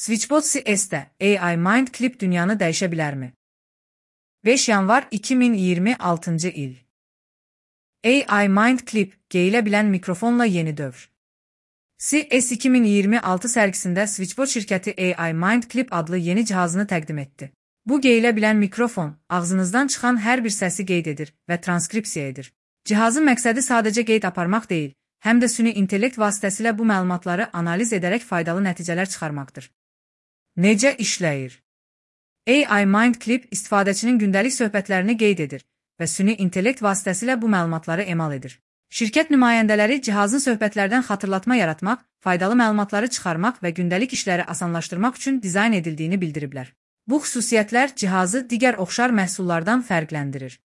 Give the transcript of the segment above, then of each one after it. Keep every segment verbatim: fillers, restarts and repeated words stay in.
Switchbot C S'də A I Mind Clip dünyanı dəyişə bilərmi? beş yanvar iki min iyirmi altıncı il. A I Mind Clip, geyilə bilən mikrofonla yeni dövr. C S iki min iyirmi altı sərgisində Switchbot şirkəti A I Mind Clip adlı yeni cihazını təqdim etdi. Bu geyilə bilən mikrofon, ağzınızdan çıxan hər bir səsi qeyd edir və transkripsiya edir. Cihazın məqsədi sadəcə qeyd aparmaq deyil, həm də süni intellekt vasitəsilə bu məlumatları analiz edərək faydalı nəticələr çıxarmaqdır. Necə işləyir? A I Mind Clip istifadəçinin gündəlik söhbətlərini qeyd edir və süni intellekt vasitəsilə bu məlumatları emal edir. Şirkət nümayəndələri cihazın söhbətlərdən xatırlatma yaratmaq, faydalı məlumatları çıxarmaq və gündəlik işləri asanlaşdırmaq üçün dizayn edildiyini bildiriblər. Bu xüsusiyyətlər cihazı digər oxşar məhsullardan fərqləndirir.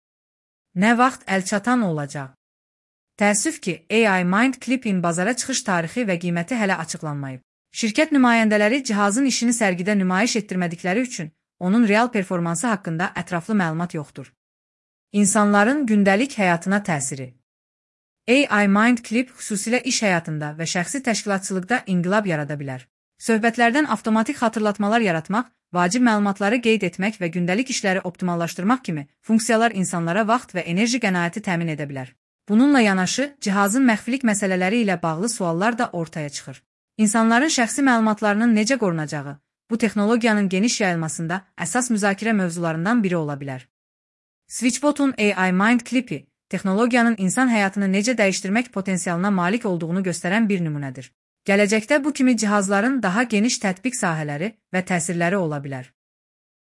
Nə vaxt əlçatan olacaq? Təəssüf ki, A I Mind Clip'in bazara çıxış tarixi və qiyməti hələ açıqlanmayıb. Şirkət nümayəndələri cihazın işini sərgidə nümayiş etdirmədikləri üçün onun real performansı haqqında ətraflı məlumat yoxdur. İnsanların gündəlik həyatına təsiri. A I Mind Clip xüsusilə iş həyatında və şəxsi təşkilatçılıqda inqilab yarada bilər. Söhbətlərdən avtomatik xatırlatmalar yaratmaq, vacib məlumatları qeyd etmək və gündəlik işləri optimallaşdırmaq kimi funksiyalar insanlara vaxt və enerji qənaəti təmin edə bilər. Bununla yanaşı, cihazın məxfilik məsələləri ilə bağlı suallar da ortaya çıxır. İnsanların şəxsi məlumatlarının necə qorunacağı, bu texnologiyanın geniş yayılmasında əsas müzakirə mövzularından biri ola bilər. Switchbot'un A I Mind Clip'i, texnologiyanın insan həyatını necə dəyişdirmək potensialına malik olduğunu göstərən bir nümunədir. Gələcəkdə bu kimi cihazların daha geniş tətbiq sahələri və təsirləri ola bilər.